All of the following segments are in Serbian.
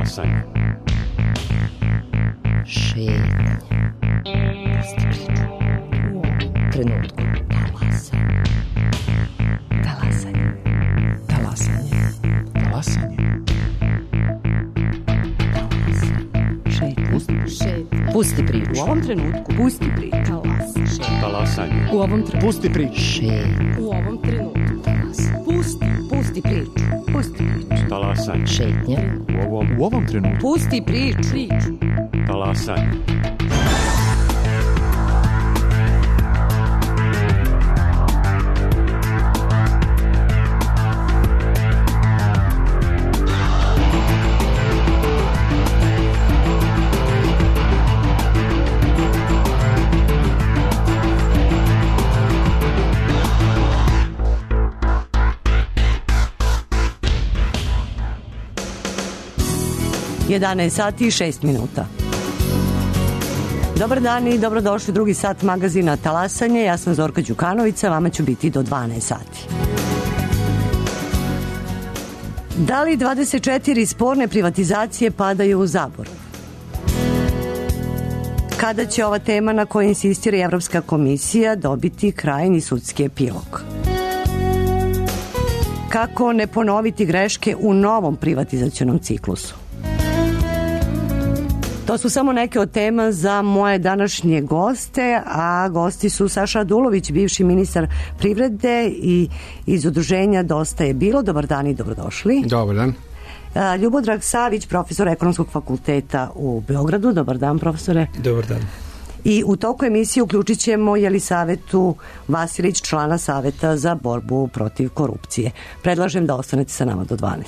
Talasanje. Šetnja. Trenutku. Talasanje. Talasanje. Talasanje. Šetnja. Pusti priču. U ovom trenutku. Pusti priču. Talasanje. U ovom trenutku. Pusti priču. Šetnja. U ovom trenutku. Pusti priču. Pusti priču. Talasanje. Šetnja. U ovom trenutku. Pusti priču. Talasanje. Jedanaest sati i 6 minuta. Dobar dan i dobrodošli u drugi sat magazina Talasanje. Ja sam Zorka Đukanovića, vama ću biti do 12 sati. Da li 24 sporne privatizacije padaju u zaborav? Kada će ova tema na kojoj insistira Evropska komisija dobiti krajnji sudski epilog? Kako ne ponoviti greške u novom privatizacionom ciklusu? To su samo neke od tema za moje današnje goste, a gosti su Saša Radulović, bivši ministar privrede i iz udruženja Dosta je bilo. Dobar dan i dobrodošli. Dobar dan. Ljubodrag Savić, profesor Ekonomskog fakulteta u Beogradu. Dobar dan, profesore. Dobar dan. I u toku emisije uključit ćemo Jelisavetu Vasilić, člana Saveta za borbu protiv korupcije. Predlažem da ostanete sa nama do 12.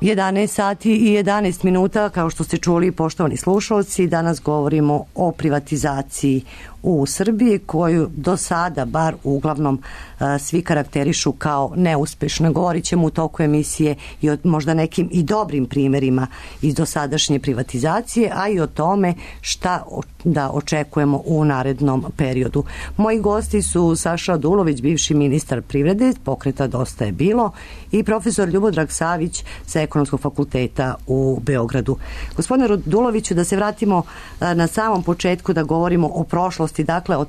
11 sati i 11 minuta, kao što ste čuli, poštovani slušalci, danas govorimo o privatizaciji u Srbiji, koju do sada, bar uglavnom, svi karakterišu kao neuspešna. Govorit ćemo u toku emisije i o možda nekim i dobrim primerima iz dosadašnje privatizacije, a i o tome šta da očekujemo u narednom periodu. Moji gosti su Saša Radulović, bivši ministar privrede, pokreta Dosta je bilo, i profesor Ljubodrag Savić sa Ekonomskog fakulteta u Beogradu. Gospodine Raduloviću, da se vratimo na samom početku, da govorimo o prošlosti, dakle od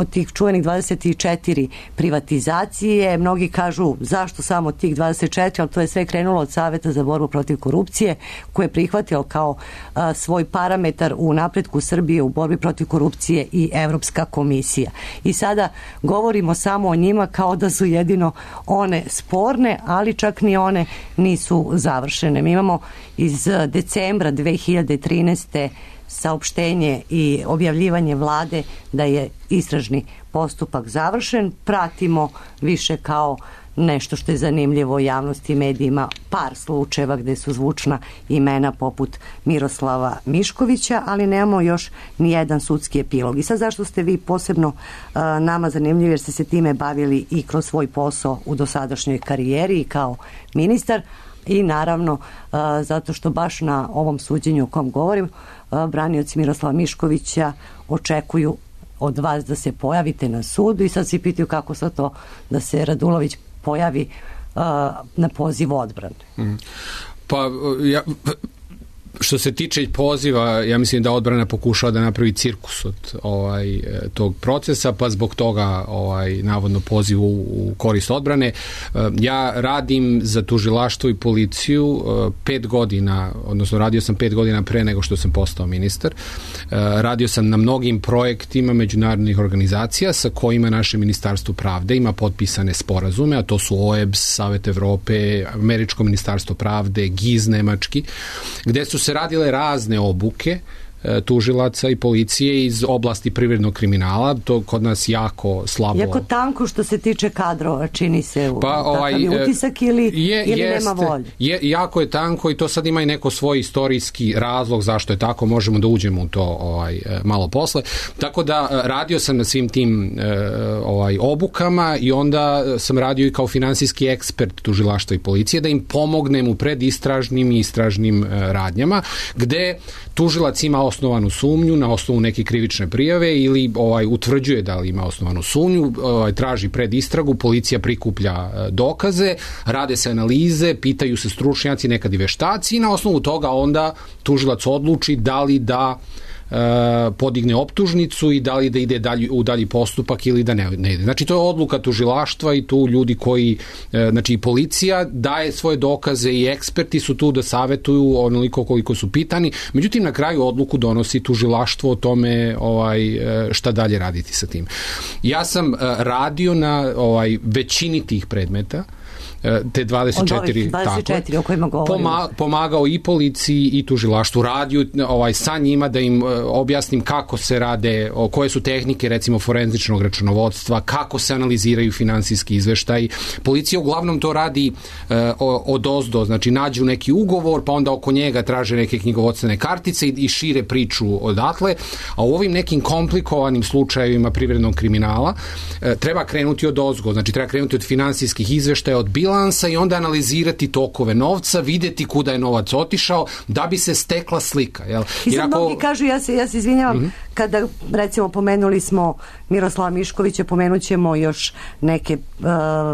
tih čuvenih 24 privatizacije. Mnogi kažu zašto samo tih 24, ali to je sve krenulo od Saveta za borbu protiv korupcije, koje je prihvatio kao svoj parametar u napretku Srbije u borbi protiv korupcije i Evropska komisija. I sada govorimo samo o njima kao da su jedino one sporne, ali čak ni one nisu završene. Mi imamo iz decembra 2013. saopštenje i objavljivanje vlade da je istražni postupak završen. Pratimo više kao nešto što je zanimljivo javnosti i medijima, par slučajeva gde su zvučna imena poput Miroslava Miškovića, ali nemamo još ni jedan sudski epilog. I sad zašto ste vi posebno nama zanimljivi, jer ste se time bavili i kroz svoj posao u dosadašnjoj karijeri i kao ministar, i naravno zato što baš na ovom suđenju o kom govorim, branioci Miroslava Miškovića očekuju od vas da se pojavite na sudu i sad se pitaju kako sad to da se Radulović pojavi na poziv odbrane. Pa što se tiče poziva, ja mislim da odbrana pokušava da napravi cirkus od tog procesa, pa zbog toga navodno poziv u korist odbrane. Ja radim za tužilaštvo i policiju 5 godina, odnosno radio sam 5 godina pre nego što sam postao ministar. Radio sam na mnogim projektima međunarodnih organizacija sa kojima naše Ministarstvo pravde ima potpisane sporazume, a to su OEBS, Savet Evrope, Američko ministarstvo pravde, GIZ nemački, gde su se radile razne obuke tužilaca i policije iz oblasti privrednog kriminala. To kod nas jako slabo. Jako tanko što se tiče kadrova, čini se takav je utisak ili nema volje? Jako je tanko i to sad ima i neko svoj istorijski razlog zašto je tako, možemo da uđemo u to malo posle. Tako da radio sam na svim tim obukama i onda sam radio i kao finansijski ekspert tužilaštva i policije da im pomognem u predistražnim i istražnim radnjama, gde tužilac ima osnovanu sumnju na osnovu neke krivične prijave ili utvrđuje da li ima osnovanu sumnju, traži predistragu, policija prikuplja dokaze, rade se analize, pitaju se stručnjaci, nekad i veštaci i na osnovu toga onda tužilac odluči da li da podigne optužnicu i da li da ide u dalji postupak ili da ne ide. Znači to je odluka tužilaštva i tu ljudi koji, znači i policija daje svoje dokaze i eksperti su tu da savetuju onoliko koliko su pitani. Međutim, na kraju odluku donosi tužilaštvo o tome šta dalje raditi sa tim. Ja sam radio na većini tih predmeta, te 24 o kojima govorimo. Pomagao i policiji i tužilaštvu, radio sa njima da im objasnim kako se rade, koje su tehnike recimo forenzičnog računovodstva, kako se analiziraju finansijski izveštaj. Policija uglavnom to radi odozdo, znači nađu neki ugovor pa onda oko njega traže neke knjigovodstvene kartice i šire priču odatle, a u ovim nekim komplikovanim slučajevima privrednog kriminala treba krenuti odozgo, znači treba krenuti od finansijskih izveštaja, od bilansa i onda analizirati tokove novca, videti kuda je novac otišao da bi se stekla slika. Jel? I sad mnogi kažu, ja se izvinjavam, kada recimo pomenuli smo Miroslava Miškovića, pomenut ćemo još neke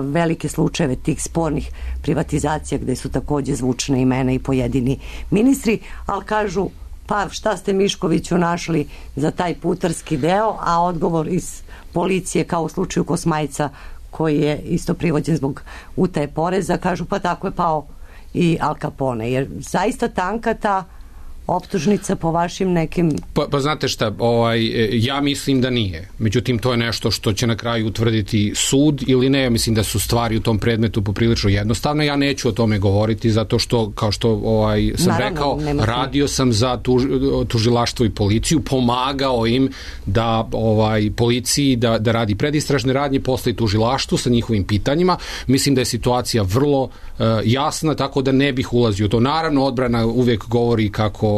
velike slučajeve tih spornih privatizacija gde su takođe zvučne imena i pojedini ministri, ali kažu pa šta ste Miškoviću našli za taj putarski deo, a odgovor iz policije kao u slučaju Kosmajca koji je isto privođen zbog utaje poreza, kažu pa tako je pao i Al Capone, jer zaista tanka ta optužnica po vašim nekim... Pa znate šta, ja mislim da nije. Međutim, to je nešto što će na kraju utvrditi sud ili ne. Ja mislim da su stvari u tom predmetu poprilično jednostavne. Ja neću o tome govoriti zato što, kao što sam rekao, radio sam za tužilaštvo i policiju, pomagao im da policiji da radi predistražne radnje, posle i tužilaštvu sa njihovim pitanjima. Mislim da je situacija vrlo jasna, tako da ne bih ulazio u to. Naravno, odbrana uvek govori kako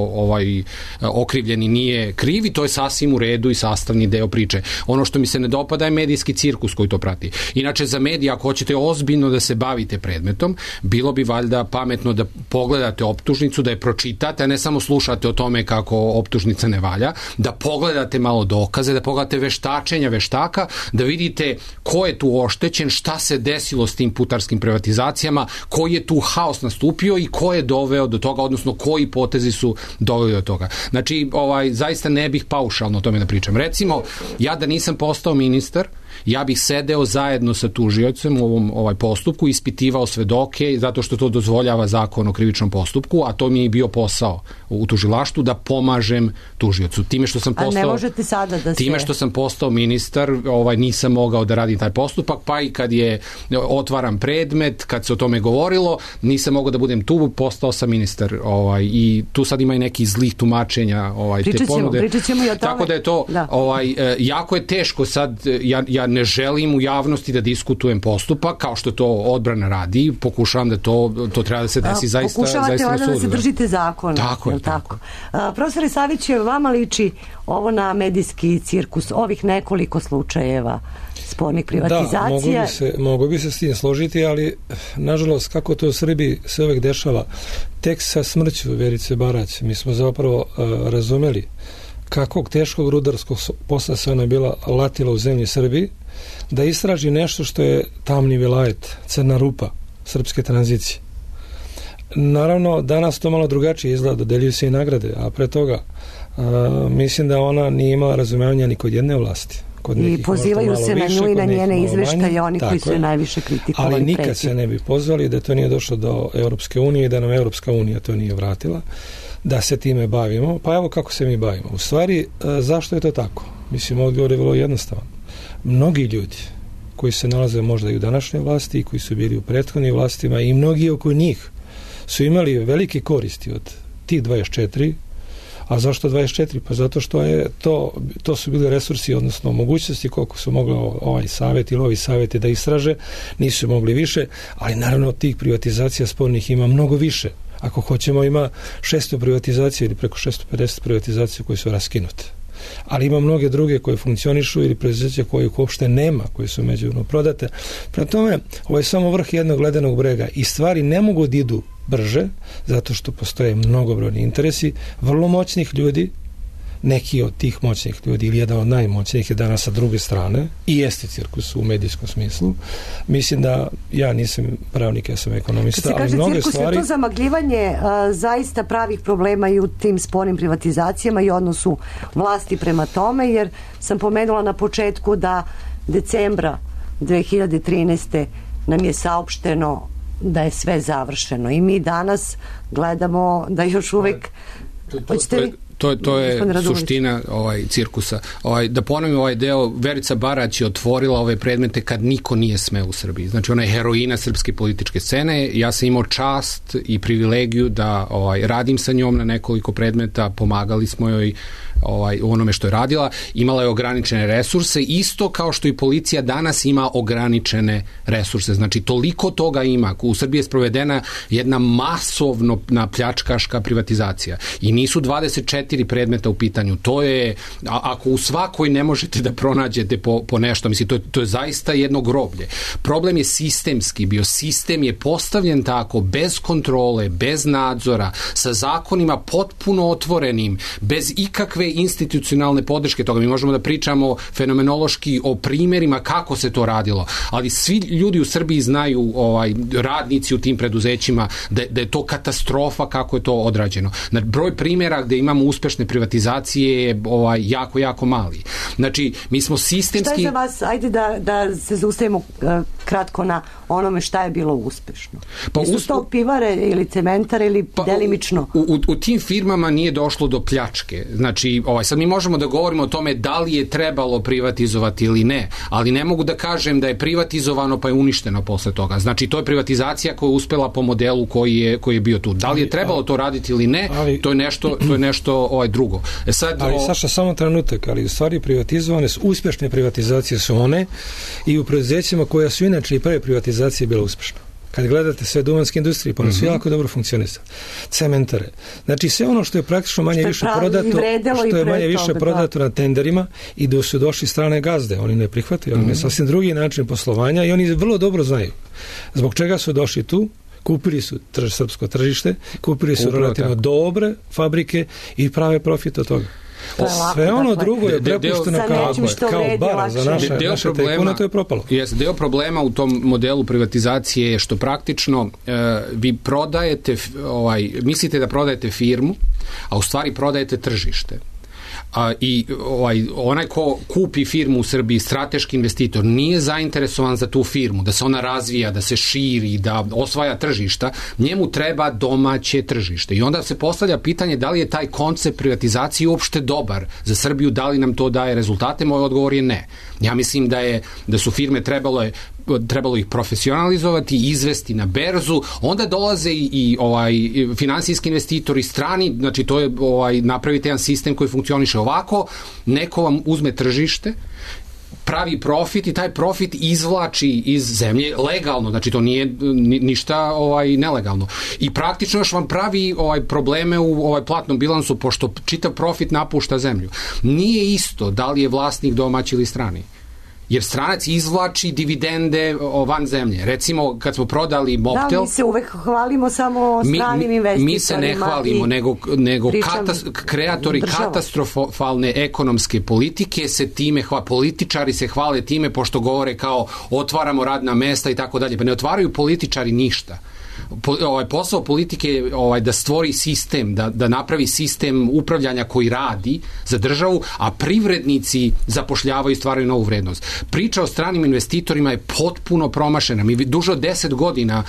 okrivljeni nije kriv i to je sasvim u redu i sastavni deo priče. Ono što mi se ne dopada je medijski cirkus koji to prati. Inače, za medije, ako hoćete ozbiljno da se bavite predmetom, bilo bi valjda pametno da pogledate optužnicu, da je pročitate, a ne samo slušate o tome kako optužnica ne valja, da pogledate malo dokaze, da pogledate veštačenja veštaka, da vidite ko je tu oštećen, šta se desilo s tim putarskim privatizacijama, koji je tu haos nastupio i ko je doveo do toga, odnosno koji potezi su doveli do toga. Znači, zaista ne bih paušalno o tome da pričam. Recimo, ja da nisam postao ministar, ja bih sedeo zajedno sa tužiocem u ovom postupku, ispitivao svedoke, zato što to dozvoljava zakon o krivičnom postupku, a to mi je bio posao u tužilaštvu, da pomažem tužiocu. Time što sam postao, a ne možete sada da se... Time što sam postao ministar, nisam mogao da radim taj postupak, pa i kad je otvaram predmet, kad se o tome govorilo, nisam mogao da budem tu, postao sam ministar. I tu sad ima i nekih zlih tumačenja te ponude. Pričat ćemo i o tome. Tako da je to, jako je teško sad, ja ne želim u javnosti da diskutujem postupak, kao što to odbrana radi, pokušavam da to treba da se desi zaista na sudu. Pokušavate da se držite zakona. Tako je, tako. Profesore Saviću, vama liči ovo na medijski cirkus, ovih nekoliko slučajeva spornih privatizacija? Da, mogu bi se s tim složiti, ali nažalost, kako to u Srbiji se uvek dešava, tek sa smrću Verice Barać, mi smo zapravo razumeli kakvog teškog rudarskog posla se ona bila latila u zemlji Srbiji, da istraži nešto što je tamni vilajet, crna rupa srpske tranzicije. Naravno, danas to malo drugačije izgleda, dodeljuju se i nagrade, a pre toga mislim da ona nije imala razumevanja ni kod jedne vlasti. I pozivaju se na nju i na njene izveštaje oni koji su najviše kritikovali. Ali nikad se ne bi pozvali da to nije došlo do Europske unije i da nam Europska unija to nije vratila, da se time bavimo. Pa evo kako se mi bavimo. U stvari, zašto je to tako? Mislim, odgovor je vrlo jednostavan. Mnogi ljudi koji se nalaze možda i u današnjoj vlasti i koji su bili u prethodnim vlastima i mnogi oko njih su imali velike koristi od tih 24. A zašto 24? Pa zato što je to su bili resursi, odnosno mogućnosti koliko su mogli ovaj savjet ili ovi savjeti da istraže, nisu mogli više, ali naravno tih privatizacija spornih ima mnogo više. Ako hoćemo, ima 600 privatizacija ili preko 650 privatizacija koje su raskinute. Ali ima mnoge druge koje funkcionišu ili preduzeća koje uopšte nema, koje su međuvremeno prodate. Prema tome, ovo je samo vrh jednog ledenog brega i stvari ne mogu da idu brže, zato što postoje mnogobrojni interesi vrlo moćnih ljudi. Neki od tih moćnih ljudi ili jedan od najmoćnijih je danas sa druge strane i jeste cirkus u medijskom smislu. Mislim da ja nisam pravnik, ja sam ekonomista, ali mnoge cirkus, stvari... Je to zamagljivanje zaista pravih problema i u tim spornim privatizacijama i odnosu vlasti prema tome, jer sam pomenula na početku da decembra 2013. nam je saopšteno da je sve završeno i mi danas gledamo da još uvek... To je suština cirkusa. Da ponovim ovaj deo, Verica Barać je otvorila ove predmete kad niko nije smeo u Srbiji. Znači, ona je heroina srpske političke scene. Ja sam imao čast i privilegiju da radim sa njom na nekoliko predmeta, pomagali smo joj u onome što je radila. Imala je ograničene resurse, isto kao što i policija danas ima ograničene resurse. Znači, toliko toga ima. U Srbiji je sprovedena jedna masovno pljačkaška privatizacija. I nisu 24 predmeta u pitanju. To je, ako u svakoj ne možete da pronađete po nešto, mislim, to je zaista jedno groblje. Problem je sistemski bio. Sistem je postavljen tako, bez kontrole, bez nadzora, sa zakonima potpuno otvorenim, bez ikakve nikakve institucionalne podrške toga. Mi možemo da pričamo fenomenološki o primjerima kako se to radilo, ali svi ljudi u Srbiji znaju, radnici u tim preduzećima, da je to katastrofa kako je to odrađeno. Broj primjera gde imamo uspešne privatizacije je jako, jako mali. Znači, mi smo sistemski... Šta je za vas, ajde da se zaustavimo kratko na onome šta je bilo uspešno? Su to pivare ili cementare ili delimično? U tim firmama nije došlo do pljačke. Znači, sad mi možemo da govorimo o tome da li je trebalo privatizovati ili ne, ali ne mogu da kažem da je privatizovano pa je uništeno posle toga. Znači, to je privatizacija koja je uspela po modelu koji je bio tu. Da li je trebalo to raditi ili ne, to je nešto drugo. Ali Saša, samo trenutak, ali u stvari privatizovane su, uspešne privatizacije su one i u preduzećima koja su inače i pre privatizacije bila uspešna. Kad gledate sve duvanske industrije, pa su jako dobro funkcionisali. Cementare. Znači, sve ono što je praktično manje više prodato na tenderima i da su došli strane gazde. Oni ne prihvataju, oni sasvim drugi način poslovanja i oni vrlo dobro znaju. Zbog čega su došli tu? Kupili su srpsko tržište, kupili su relativno dobre fabrike i prave profit od toga. Sve ono drugo je prepušteno kao bara za naše tajkune, to je propalo. Deo problema u tom modelu privatizacije je što praktično vi prodajete, mislite da prodajete firmu, a u stvari prodajete tržište. I onaj ko kupi firmu u Srbiji, strateški investitor, nije zainteresovan za tu firmu, da se ona razvija, da se širi, da osvaja tržišta, njemu treba domaće tržište. I onda se postavlja pitanje da li je taj koncept privatizacije uopšte dobar za Srbiju, da li nam to daje rezultate. Moj odgovor je ne. Ja mislim da su firme trebalo ih profesionalizovati, izvesti na berzu, onda dolaze i finansijski investitori strani, znači to je napravite jedan sistem koji funkcioniše ovako, neko vam uzme tržište, pravi profit i taj profit izvlači iz zemlje legalno, znači to nije ništa nelegalno. I praktično još vam pravi probleme u platnom bilansu, pošto čitav profit napušta zemlju. Nije isto da li je vlasnik domaći ili strani. Jer stranac izvlači dividende van zemlje. Recimo, kad smo prodali Mobtel... Da, mi se uvek hvalimo samo stranim investitorima. Mi se ne hvalimo, nego kreatori katastrofalne ekonomske politike se time hvale. Političari se hvale time pošto govore kao otvaramo radna mesta i tako dalje. Pa ne otvaraju političari ništa. Posao politike je da stvori sistem, da napravi sistem upravljanja koji radi za državu, a privrednici zapošljavaju i stvaraju novu vrednost. Priča o stranim investitorima je potpuno promašena. Mi duže od 10 godina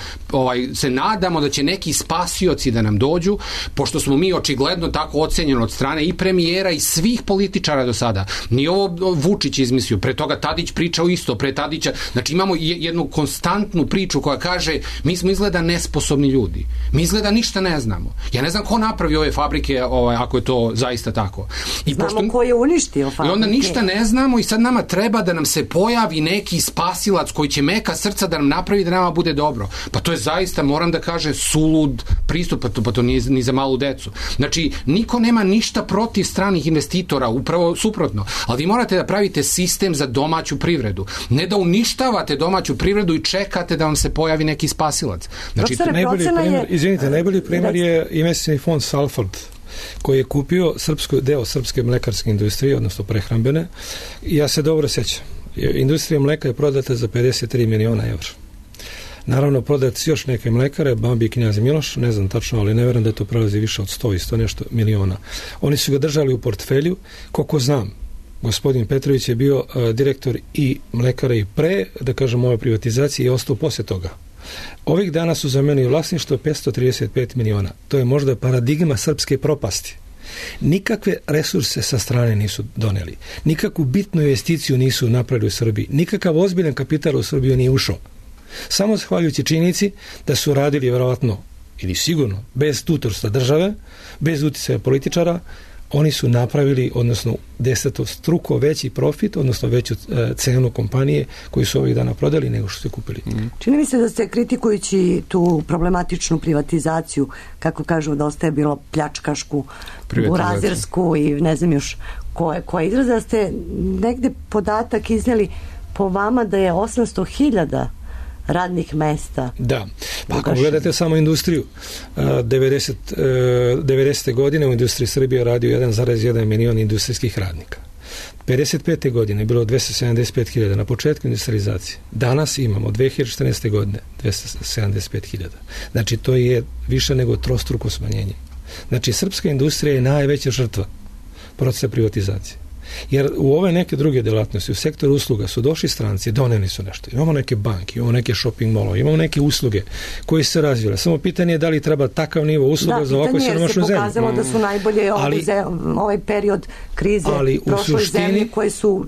se nadamo da će neki spasioci da nam dođu, pošto smo mi očigledno tako ocenjeni od strane i premijera i svih političara do sada. Nije ovo Vučić izmislio, pre toga Tadić pričao isto, pre Tadića. Znači imamo jednu konstantnu priču koja kaže mi smo izgleda nesposobni ljudi. Mi izgleda ništa ne znamo. Ja ne znam ko napravi ove fabrike ako je to zaista tako. Znamo ko je uništio fabrike. I onda ništa ne znamo i sad nama treba da nam se pojavi neki spasilac koji će meka srca da nam napravi da nama bude dobro. Pa to je zaista, moram da kažem, sulud pristup, pa to nije ni za malu decu. Znači, niko nema ništa protiv stranih investitora, upravo suprotno. Ali vi morate da pravite sistem za domaću privredu. Ne da uništavate domaću privredu i čekate da vam se pojavi neki spasilac. Znači, najbolji primjer je investicioni fond Salford, koji je kupio deo srpske mlekarske industrije, odnosno prehrambene. Ja se dobro sjećam. Industrija mleka je prodata za 53 miliona evra. Naravno, prodati još neke mlekare, Bambi i Knjaz Miloš, ne znam tačno, ali ne verujem da to prelazi više od 100 i 100 nešto miliona. Oni su ga držali u portfelju, koliko znam. Gospodin Petrović je bio direktor i mlekara i pre, da kažem, ove privatizacije i ostao poslije toga. Ovih dana su zamenili vlasništvo 535 miliona. To je možda paradigma srpske propasti. Nikakve resurse sa strane nisu doneli. Nikakvu bitnu investiciju nisu napravili u Srbiji. Nikakav ozbiljan kapital u Srbiju nije ušao. Samo zahvaljujući činjenici da su radili vjerovatno ili sigurno bez tutorstva države, bez uticaja političara, oni su napravili, odnosno desetostruko veći profit, odnosno veću cenu kompanije koju su ovih dana prodali nego što su kupili. Čini mi se da ste, kritikujući tu problematičnu privatizaciju, kako kažu, dosta je bilo pljačkašku, burazersku i ne znam još koje izraze, da ste negde podatak iznijeli po vama da je 800.000 radnih mesta. Da. Pa ako gledate samo industriju, 90. godine u industriji Srbije radio 1,1 milion industrijskih radnika. 55. godine je bilo 275.000 na početku industrializacije. Danas imamo 2014. godine 275.000. Znači to je više nego trostruko smanjenje. Znači srpska industrija je najveća žrtva procesa privatizacije. Jer u ove neke druge delatnosti, u sektoru usluga su došli stranci, doneli su nešto. Imamo neke banke, imamo neke shopping mallove, imamo neke usluge koje se razvile. Samo pitanje je da li treba takav nivo usluga za ovakvu siromašnu zemlju. Da, pitanje je se pokazalo da su najbolje ovaj period krize prošloj zemlji koje su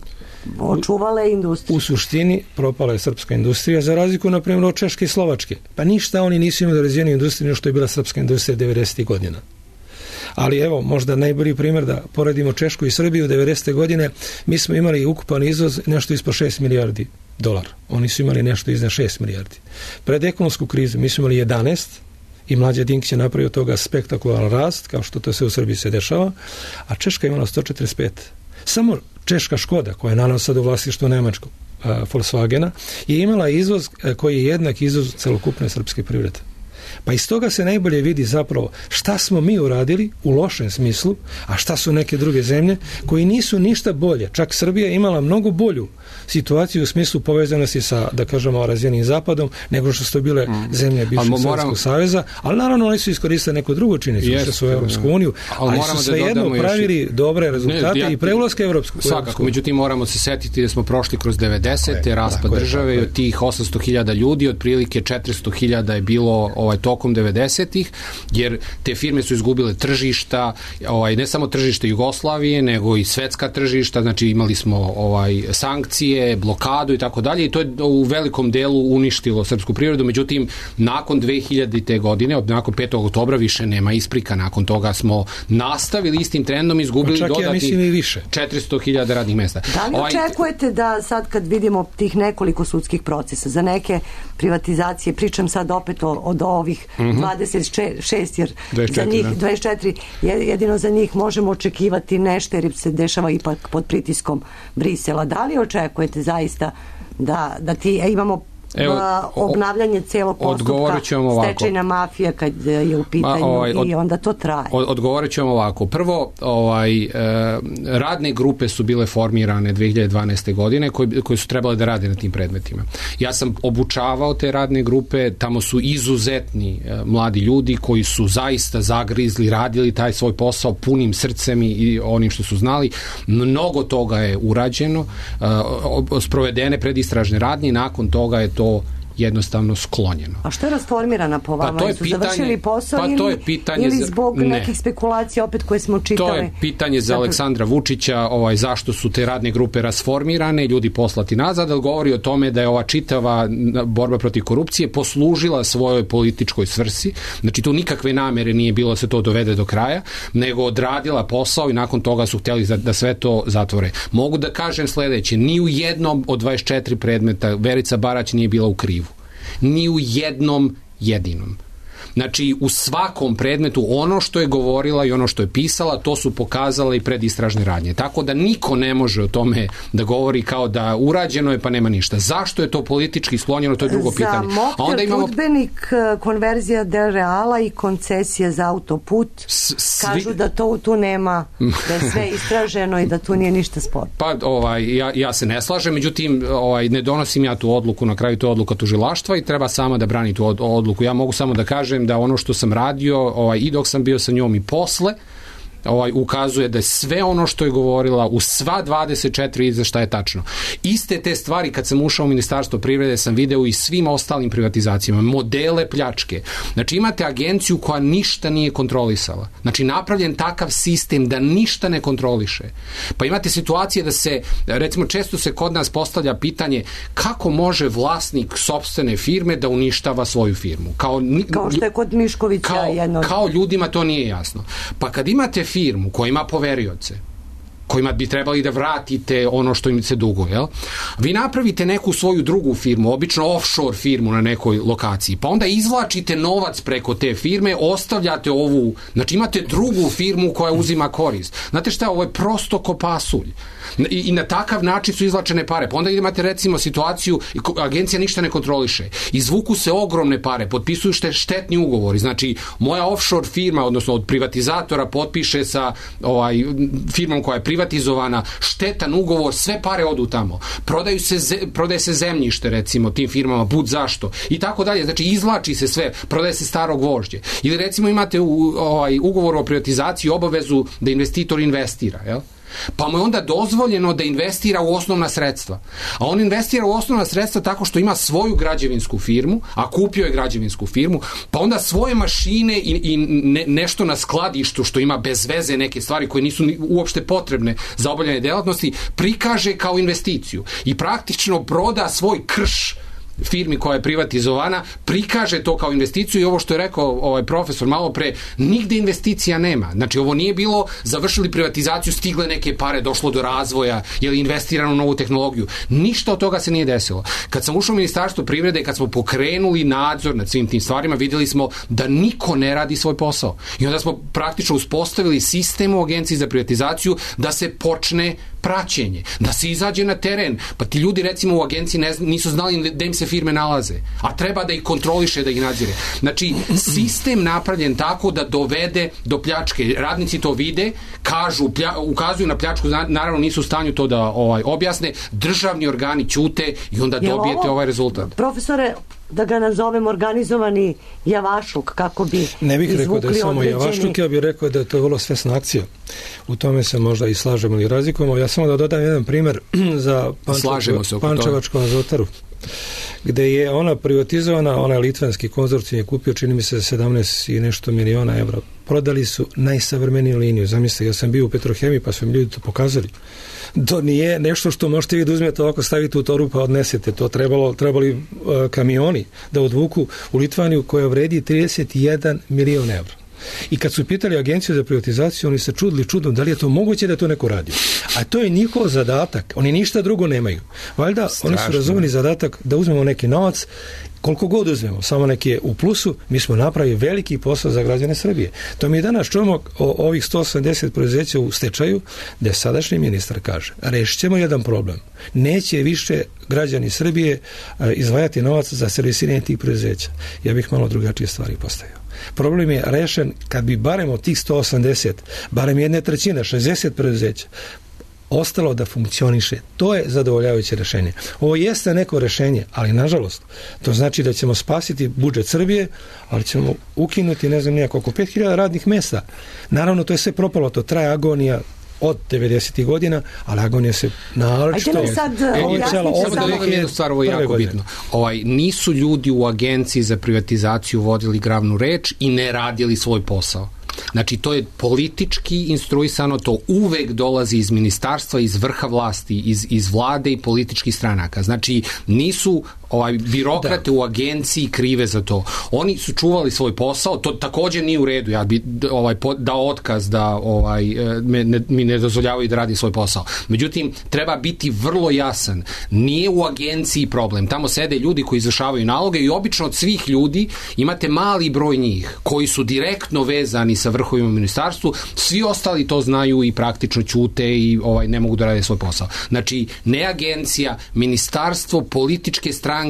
očuvale industriju. U suštini propala je srpska industrija za razliku, na primjer, od Češke i Slovačke. Pa ništa oni nisu imali razvijenu industriju nego što je bila srpska industrija 90. godina. Ali evo, možda najbolji primjer da poredimo Češku i Srbiju 90. godine, mi smo imali ukupan izvoz nešto ispod 6 milijardi dolara. Oni su imali nešto iznad 6 milijardi. Pred ekonomsku krizu mi smo imali 11 i Mlađa Dinkić je napravio toga spektakularan rast, kao što to sve u Srbiji se dešava, a Češka je imala 145. Samo češka Škoda, koja je naravno sad u vlasništvu nemačkog Volkswagena, je imala izvoz koji je jednak izvoz celokupne srpske privrede. Pa iz toga se najbolje vidi zapravo šta smo mi uradili u lošem smislu, a šta su neke druge zemlje koji nisu ništa bolje. Čak Srbija je imala mnogo bolju situaciju u smislu povezanosti sa, da kažemo, razvijenim zapadom, nego što su bile zemlje bivšeg Sovjetskog saveza, ali naravno oni su iskoristili neku drugu činjenicu, što su u Europsku uniju, ali su svejedno pravili dobre rezultate i pre ulaska Evropsku. Svakako, međutim moramo se setiti da smo prošli kroz 90. raspad države i od tih 800.000 ljudi, otprilike 400.000 je bilo tokom 90-ih, jer te firme su izgubile tržišta, ne samo tržište Jugoslavije, nego i svetska tržišta, znači imali smo sankcije, blokadu i tako dalje, i to je u velikom delu uništilo srpsku privredu. Međutim, nakon 2000. godine, nakon 5. oktobra više nema isprika, nakon toga smo nastavili istim trendom i izgubili dodatnih 400.000 radnih mesta. Da li očekujete da sad kad vidimo tih nekoliko sudskih procesa, za neke privatizacije, pričam sad opet od ovih 26, jer 24, za njih 24, jedino za njih možemo očekivati nešto jer se dešava ipak pod pritiskom Brisela. Da li očekujete zaista da imamo obnavljanje celog postupka, stečajna mafija kad je u pitanju i onda to traje? Odgovorit ćemo ovako. Prvo, radne grupe su bile formirane 2012. godine koje su trebale da rade na tim predmetima. Ja sam obučavao te radne grupe, tamo su izuzetni mladi ljudi koji su zaista zagrizli, radili taj svoj posao punim srcem i onim što su znali. Mnogo toga je urađeno, sprovedene predistražne radnje i nakon toga je to jednostavno sklonjeno. A što je rasformirana po vama? Su završili posao ili zbog nekih spekulacija opet koje smo čitali? To je pitanje za Aleksandra Vučića, zašto su te radne grupe rasformirane, ljudi poslati nazad, ali govori o tome da je ova čitava borba protiv korupcije poslužila svojoj političkoj svrsi. Znači tu nikakve namere nije bilo da se to dovede do kraja, nego odradila posao i nakon toga su htjeli da sve to zatvore. Mogu da kažem sledeće, ni u jednom od 24 predmeta Verica Barać nije bila u krivu. Ni u jednom jedinom. Znači, u svakom predmetu ono što je govorila i ono što je pisala, to su pokazale i predistražne radnje. Tako da niko ne može o tome da govori kao da urađeno je pa nema ništa. Zašto je to politički sklonjeno, to je drugo pitanje. Za Mokter Tudbenik, konverzija Del Reala i koncesija za autoput, kažu da to tu nema, da je sve istraženo i da tu nije ništa sporno. Pa, ja se ne slažem, međutim, ne donosim ja tu odluku, na kraju to je odluka tužilaštva i treba sama da brani tu odluku. Ja mogu samo da kažem da ono što sam radio i dok sam bio sa njom i posle ukazuje da je sve ono što je govorila u sva 24 izveštaja je tačno. Iste te stvari kad sam ušao u Ministarstvo privrede sam video i svim ostalim privatizacijama, modele pljačke. Znači imate agenciju koja ništa nije kontrolisala. Znači napravljen takav sistem da ništa ne kontroliše. Pa imate situacije da se, recimo često se kod nas postavlja pitanje kako može vlasnik sopstvene firme da uništava svoju firmu. Kao što je kod Miškovića jedno. Kao ljudima to nije jasno. Pa kad imate firmu koja ima poverioce, kojima bi trebali da vratite ono što im se duguje. Jel? Vi napravite neku svoju drugu firmu, obično offshore firmu na nekoj lokaciji, pa onda izvlačite novac preko te firme, ostavljate ovu, znači imate drugu firmu koja uzima korist. Znate šta, ovo je prosto ko pasulj. I na takav način su izvlačene pare. Pa onda imate recimo situaciju, agencija ništa ne kontroliše. Izvuku se ogromne pare, potpisuju štetni ugovori. Znači, moja offshore firma, odnosno od privatizatora, potpiše sa firmom koja je privatizovana štetan ugovor, sve pare odu tamo. Prodaje se zemljište, recimo, tim firmama, bud zašto. I tako dalje. Znači, izvlači se sve, prodaje se staro gvožđe. Ili recimo imate ugovor o privatizaciji obavezu da investitor investira, jel? Pa mu je onda dozvoljeno da investira u osnovna sredstva. A on investira u osnovna sredstva tako što ima svoju građevinsku firmu, a kupio je građevinsku firmu, pa onda svoje mašine i nešto na skladištu što ima bez veze neke stvari koje nisu uopšte potrebne za obavljanje delatnosti, prikaže kao investiciju. I praktično proda svoj krš firmi koja je privatizovana, prikaže to kao investiciju i ovo što je rekao profesor malo pre, nigde investicija nema. Znači ovo nije bilo, završili privatizaciju, stigle neke pare, došlo do razvoja, je li investirano u novu tehnologiju. Ništa od toga se nije desilo. Kad sam ušao u Ministarstvo privrede, kad smo pokrenuli nadzor nad svim tim stvarima, videli smo da niko ne radi svoj posao. I onda smo praktično uspostavili sistem u Agenciji za privatizaciju da se počne praćenje, da se izađe na teren. Pa ti ljudi recimo u agenciji nisu znali da im se firme nalaze, a treba da ih kontroliše, da ih nadzire. Znači, sistem napravljen tako da dovede do pljačke. Radnici to vide, kažu, ukazuju na pljačku, naravno nisu u stanju to da objasne, državni organi ćute i onda dobijete ovaj rezultat. Profesore, da ga nazovem organizovani javašluk, kako bi ne bih rekao da je samo javašluk, ja bih rekao da je to vrlo svesna akcija. U tome se možda i slažemo ili razlikujemo. Ja samo da dodam jedan primjer za Pančevačku azotaru, gde je ona privatizovana, onaj litvanski konzorcijum je kupio, čini mi se, 17 i nešto miliona evra. Prodali su najsavremeniju liniju. Zamislite, ja sam bio u Petrohemiji, pa su mi ljudi to pokazali. To nije nešto što možete vi da uzmete ovako, stavite u toru pa odnesete. To trebali kamioni da odvuku u Litvaniju koja vredi 31 milion evra. I kad su pitali agenciju za privatizaciju, oni se čudili čudom da li je to moguće da to neko radi. A to je njihov zadatak. Oni ništa drugo nemaju. Valjda oni su razumeli zadatak da uzmemo neki novac, koliko god uzmemo, samo neki je u plusu, mi smo napravili veliki posao za građane Srbije. To mi danas čujemo o ovih 180 preduzeća u stečaju, gde sadašnji ministar kaže, rešit ćemo jedan problem. Neće više građani Srbije izdvajati novac za servisiranje tih preduzeća. Ja bih malo drugačije stvari postavio. Problem je rešen kad bi barem od tih 180, barem 1/3, 60 preduzeća, ostalo da funkcioniše. To je zadovoljavajuće rešenje. Ovo jeste neko rešenje, ali nažalost, to znači da ćemo spasiti budžet Srbije, ali ćemo ukinuti, ne znam nijako, oko 5000 radnih mesta. Naravno, to je sve propalo, to traje agonija od 90. godina, ali agonija se naročito... Ajde mi sad stvar, ovo je jako bitno. Nisu ljudi u Agenciji za privatizaciju vodili glavnu reč i ne radili svoj posao. Znači, to je politički instruisano, to uvek dolazi iz ministarstva, iz vrha vlasti, iz vlade i političkih stranaka. Znači, nisu birokrate u agenciji krive za to. Oni su čuvali svoj posao, to također nije u redu. Ja bi dao otkaz da mi ne dozvoljavaju da radi svoj posao. Međutim, treba biti vrlo jasan. Nije u agenciji problem. Tamo sede ljudi koji izvršavaju naloge i obično od svih ljudi imate mali broj njih koji su direktno vezani sa vrhovima u ministarstvu. Svi ostali to znaju i praktično ćute i ne mogu da rade svoj posao. Znači, ne agencija, ministarstvo, političke stranke,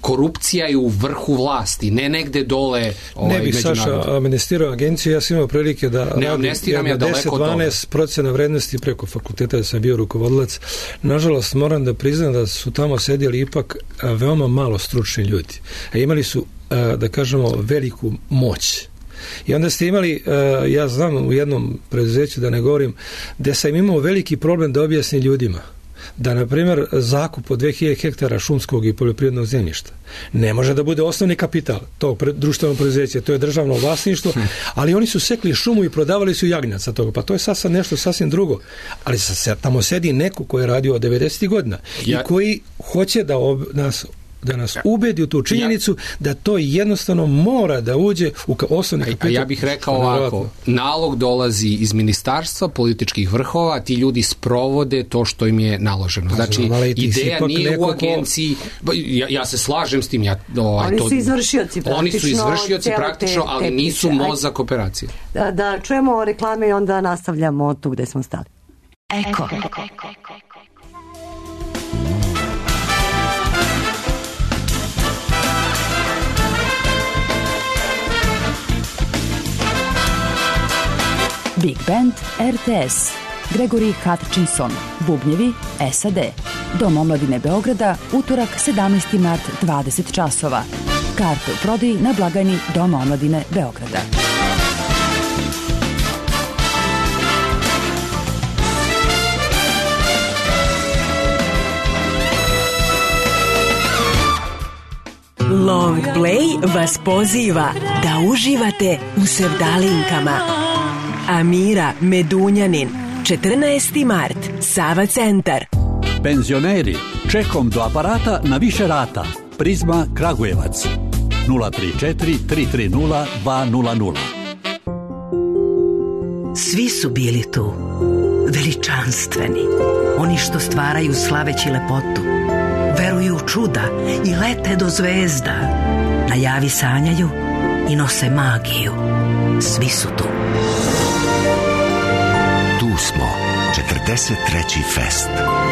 korupcija je u vrhu vlasti, ne negde dole. Ne bih, Saša, amnestirao agenciju, ja sam imao prilike da radim 10-12% vrednosti preko fakulteta, da sam bio rukovodilac. Nažalost, moram da priznam da su tamo sedjeli ipak veoma malo stručni ljudi. Imali su, da kažemo, veliku moć. I onda ste imali, ja znam u jednom preduzeću, da ne govorim, gde sam imao veliki problem da objasnim ljudima da, na primjer, zakup od 2000 hektara šumskog i poljoprivrednog zemljišta ne može da bude osnovni kapital tog društvenog preduzeća, to je državno vlasništvo, ali oni su sekli šumu i prodavali su jagnjaca toga, pa to je sad nešto sasvim drugo, ali tamo sedi neko koji je radio od 90. godina i koji hoće da nas da nas ubedi u tu činjenicu da to jednostavno mora da uđe u osnovni kapital. A ja bih rekao ovako, nalog dolazi iz ministarstva, političkih vrhova, ti ljudi sprovode to što im je naloženo. Znači, ideja nije u agenciji, ja se slažem s tim. Oni su izvršioci praktično, ali nisu mozak operacije. Da čujemo reklame i onda nastavljamo tu gde smo stali. Eko. Big Band RTS. Gregory Hutchinson. Bubnjevi SAD. Dom omladine Beograda, utorak 17. mart 20 časova. Karte u prodaji na blagajni Doma omladine Beograda. Long Play vas poziva da uživate u sevdalinkama. Amira Medunjanin, 14. mart, Sava centar. Penzioneri, čekom do aparata na više rata. Prizma Kragujevac, 034 330 200. Svi su bili tu, veličanstveni, oni što stvaraju slaveći lepotu, veruju u čuda i lete do zvezda, na javi sanjaju i nose magiju. Svi su tu. Tu smo, 43. fest,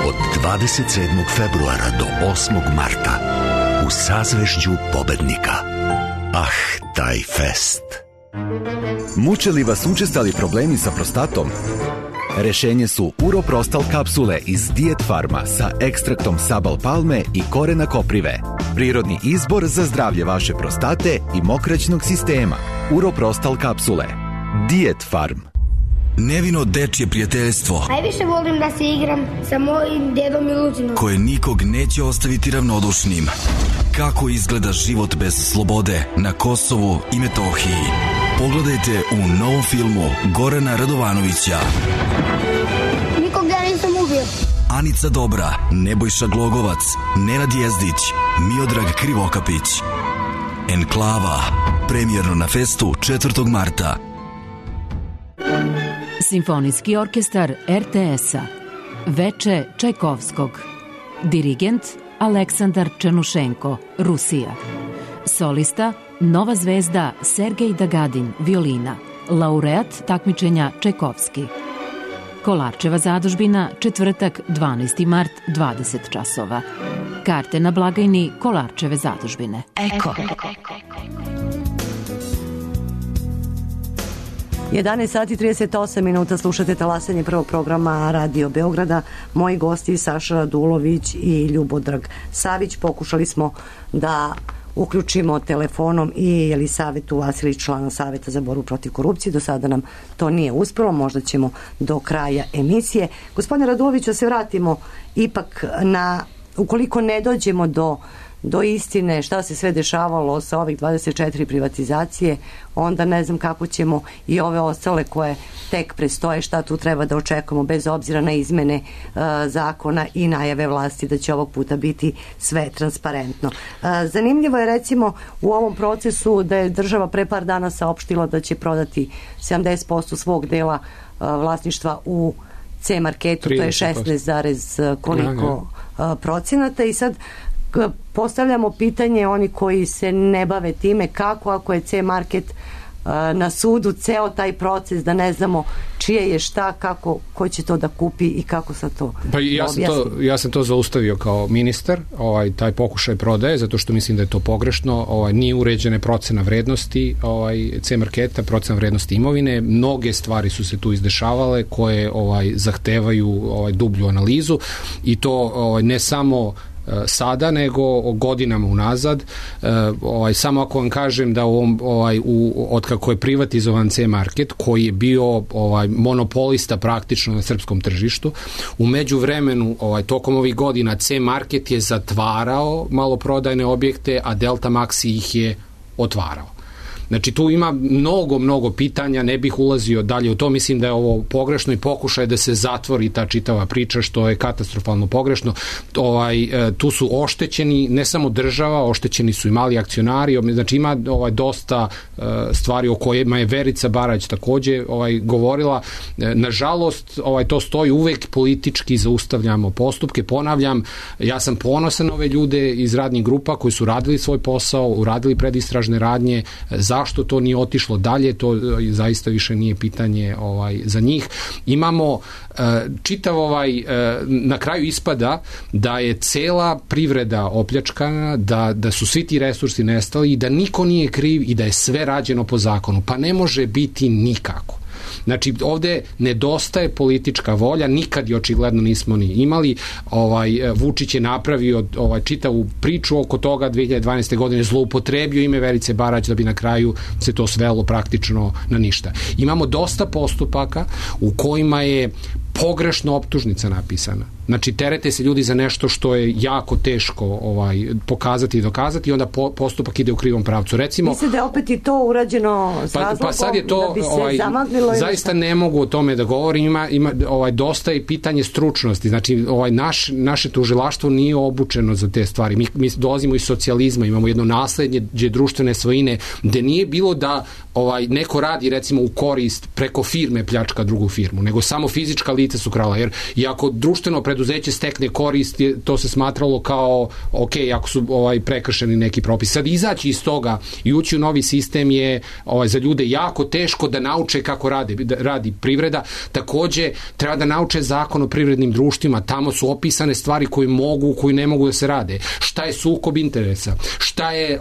od 27. februara do 8. marta, u sazvežđu pobednika. Taj fest. Muče li vas učestali problemi sa prostatom? Rešenje su Uroprostal kapsule iz Diet Farma sa ekstraktom sabal palme i korena koprive. Prirodni izbor za zdravlje vaše prostate i mokraćnog sistema. Uroprostal kapsule. Diet Farm. Nevino dečje prijateljstvo. Najviše volim da se igram sa mojim dedom i Lucinom. Koje nikog neće ostaviti ravnodušnim. Kako izgleda život bez slobode na Kosovu i Metohiji? Pogledajte u novom filmu Gorana Radovanovića. Nikog ja nisam ubio. Anica Dobra, Nebojša Glogovac, Nenad Jezdić, Miodrag Krivokapić. Enklava, premijerno na festu 4. marta. Simfonijski orkestar RTS-a. Veče Čajkovskog. Dirigent Aleksandar Černušenko, Rusija. Solista Nova zvezda Sergej Dagadin, violina. Laureat takmičenja Čajkovski. Kolarčeva zadužbina, četvrtak 12. mart 20 časova. Karte na blagajni Kolarčeve zadužbine. Eko. 11 sati 38 minuta, slušate talasanje prvog programa Radio Beograda. Moji gosti Saša Radulović i Ljubodrag Savić. Pokušali smo da uključimo telefonom i Jelisavetu Vasilić, člana Saveta za borbu protiv korupcije. Do sada nam to nije uspelo, možda ćemo do kraja emisije. Gospodine Radulović, da se vratimo ipak na, ukoliko ne dođemo do istine šta se sve dešavalo sa ovih 24 privatizacije, onda ne znam kako ćemo i ove ostale koje tek prestoje, šta tu treba da očekujemo, bez obzira na izmene zakona i najave vlasti da će ovog puta biti sve transparentno. Zanimljivo je recimo u ovom procesu da je država pre par dana saopštila da će prodati 70% svog dela vlasništva u C-marketu, to je 16, koliko procenata, i sad postavljamo pitanje, oni koji se ne bave time, kako ako je C-market na sudu, ceo taj proces, da ne znamo čije je šta, kako, ko će to da kupi i kako sa to ja sam to zaustavio kao ministar, taj pokušaj prodaje, zato što mislim da je to pogrešno, nije uređene procena vrednosti C-marketa, procena vrednosti imovine, mnoge stvari su se tu izdešavale koje zahtevaju dublju analizu i to ne samo sada, nego godinama unazad. Samo ako vam kažem da od kako je privatizovan C-market, koji je bio monopolista praktično na srpskom tržištu, u međuvremenu tokom ovih godina C-market je zatvarao maloprodajne objekte, a Delta Maxi ih je otvarao. Znači tu ima mnogo pitanja, ne bih ulazio dalje u to, mislim da je ovo pogrešno i pokušaj da se zatvori ta čitava priča, što je katastrofalno pogrešno. Tu su oštećeni ne samo država, oštećeni su i mali akcionari, znači ima dosta stvari o kojima je Verica Barać takođe govorila. Nažalost, to stoji uvek, politički zaustavljamo postupke. Ponavljam, ja sam ponosan na ove ljude iz radnih grupa koji su radili svoj posao, uradili predistražne radnje. Zašto to nije otišlo dalje, to zaista više nije pitanje za njih. Imamo čitav na kraju ispada da je cela privreda opljačkana, da su svi ti resursi nestali i da niko nije kriv i da je sve rađeno po zakonu. Pa ne može biti nikako. Znači, ovde nedostaje politička volja, nikad je očigledno nismo ni imali. Vučić je napravio čitavu priču oko toga 2012. godine, zloupotrebio ime Verice Barać da bi na kraju se to svelo praktično na ništa. Imamo dosta postupaka u kojima je pogrešno optužnica napisana. Znači, terete se ljudi za nešto što je jako teško pokazati i dokazati i onda postupak ide u krivom pravcu. Recimo, mislim da je opet i to urađeno s razlogom sad je to, da bi se zamaglilo. Zaista ne mogu o tome da govorim, ima dosta i pitanje stručnosti. Znači, naše tužilaštvo nije obučeno za te stvari. Mi dolazimo iz socijalizma, imamo jedno naslednje društvene svojine, gde nije bilo da neko radi recimo u korist preko firme pljačka drugu firmu, nego samo fizička lica su krala, jer i ako društveno preduzeće stekne korist, to se smatralo kao ok, ako su prekršeni neki propis. Sad izaći iz toga i ući u novi sistem je za ljude jako teško da nauče kako radi privreda. Takođe, treba da nauče zakon o privrednim društvima, tamo su opisane stvari koje mogu, koje ne mogu da se rade. Šta je sukob interesa? Šta je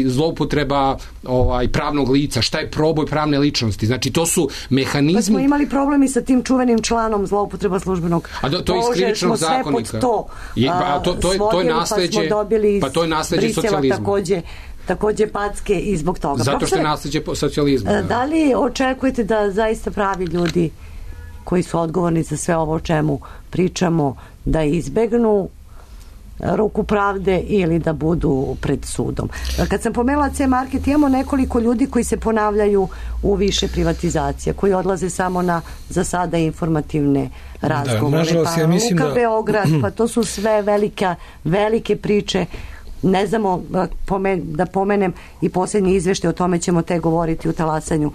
zloupotreba pravnog lica? Šta je proboj pravne ličnosti? Znači, to su mehanizmi. Pa smo imali problemi sa tim čuvenim članom zloupotreba službenog to je iz krivičnog zakonika. To je nasleđe, pa to je nasleđe socijalizma. Takođe packe i zbog toga. Zato što je nasleđe socijalizma. Da li očekujete da zaista pravi ljudi koji su odgovorni za sve ovo o čemu pričamo, da izbegnu ruku pravde ili da budu pred sudom? Kad sam pomenula C-Market, imamo nekoliko ljudi koji se ponavljaju u više privatizacija, koji odlaze samo na za sada informativne razgovore. Ja mislim Luka Beograd, pa to su sve velike priče. Ne znamo, da pomenem i posljednji izveštaj, o tome ćemo te govoriti u talasanju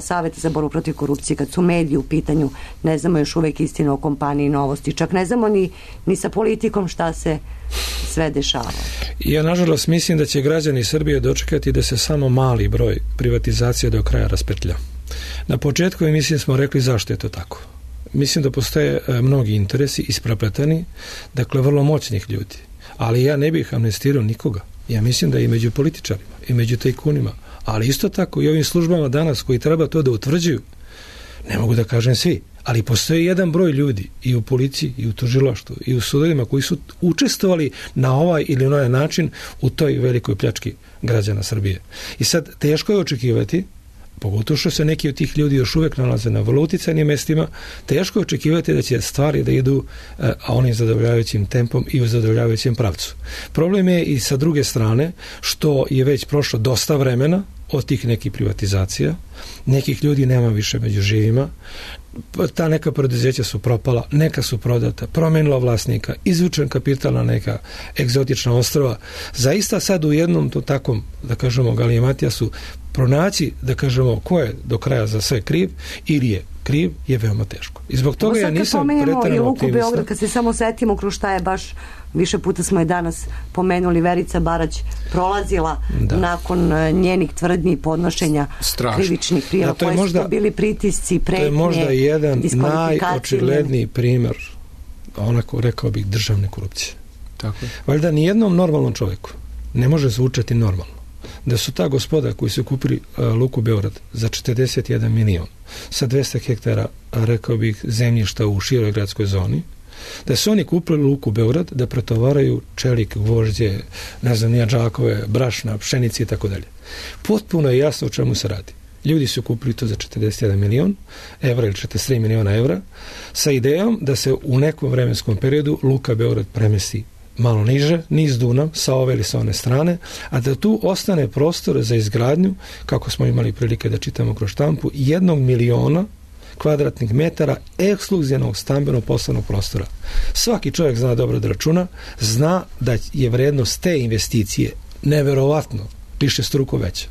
Saveta za borbu protiv korupcije, kad su mediji u pitanju, ne znamo još uvek istinu o kompaniji Novosti, čak ne znamo ni sa politikom šta se sve dešava. Ja nažalost mislim da će građani Srbije dočekati da se samo mali broj privatizacija do kraja raspetlja. Na početku emisije smo rekli zašto je to tako. Mislim da postoje mnogi interesi isprepletani, dakle vrlo moćnih ljudi. Ali ja ne bih amnestirao nikoga. Ja mislim da i među političarima, i među tajkunima, ali isto tako i ovim službama danas koji treba to da utvrđuju, ne mogu da kažem svi, ali postoji jedan broj ljudi i u policiji, i u tužilaštvu, i u sudovima koji su učestvovali na ovaj ili onaj način u toj velikoj pljački građana Srbije. I sad teško je očekivati, pogotovo što se neki od tih ljudi još uvek nalaze na vrlo uticajnim mestima, teško je očekivati da će stvari da idu onim zadovoljavajućim tempom i u zadovoljavajućem pravcu. Problem je i sa druge strane što je već prošlo dosta vremena od tih nekih privatizacija, nekih ljudi nema više među živima, ta neka preduzeća su propala, neka su prodata, promenila vlasnika, izvučen kapital na neka egzotična ostrva. Zaista sad u jednom to takom, da kažemo, galimatija su pronaći, da kažemo, ko je do kraja za sve kriv ili je kriv, je veoma teško. I zbog toga ja nisam preterano optimista. Beograd, kad se samo setimo kroz šta je baš, više puta smo je danas pomenuli, Verica Barać prolazila nakon njenih tvrdnji podnošenja krivičnih prijava, koji su to bili pritisci, pretnje, to je možda jedan najočigledniji primer, onako rekao bih, državne korupcije. Tako. Valjda nijednom normalnom čovjeku ne može zvučati normalno da su ta gospoda koji su kupili Luku Beograd za 41 milion sa 200 hektara, rekao bih, zemljišta u široj gradskoj zoni, da su oni kupili Luku Beograd da pretovaraju čelik, gvožđe, ne znam, nija džakove, brašna, pšenici i tako dalje. Potpuno je jasno o čemu se radi. Ljudi su kupili to za 41 milion evra ili 43 miliona evra sa idejom da se u nekom vremenskom periodu Luka Beograd premesti malo niže, niz Dunav, sa ove ili sa one strane, a da tu ostane prostor za izgradnju, kako smo imali prilike da čitamo kroz štampu, 1 miliona kvadratnih metara ekskluzivnog stambenog poslovnog prostora. Svaki čovjek zna dobro da računa, zna da je vrednost te investicije neverovatno više struko veća.